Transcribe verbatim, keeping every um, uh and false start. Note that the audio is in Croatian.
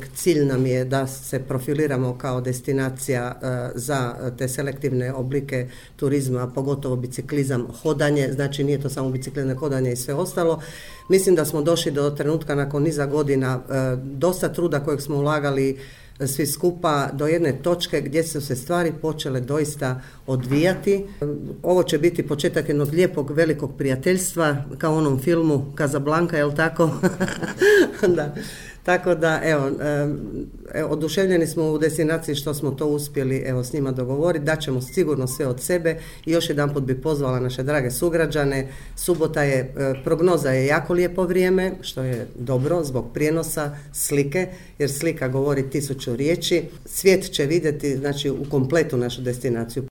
uvijek cilj nam je da se profiliramo kao destinacija za te selektivne oblike turizma, pogotovo biciklizam, hodanje, znači nije to samo biciklizam, hodanje i sve ostalo. Mislim da smo došli do trenutka nakon niza godina dosta truda kojeg smo ulagali svi skupa do jedne točke gdje su se stvari počele doista odvijati. Ovo će biti početak jednog lijepog velikog prijateljstva kao u onom filmu Casablanca, jel tako? Da. Tako da, evo, evo, oduševljeni smo u destinaciji što smo to uspjeli evo, s njima dogovoriti, da ćemo sigurno sve od sebe i još jedanput bi pozvala naše drage sugrađane. Subota je, prognoza je jako lijepo vrijeme, što je dobro zbog prijenosa slike, jer slika govori tisuću riječi. Svijet će vidjeti, znači, u kompletu našu destinaciju.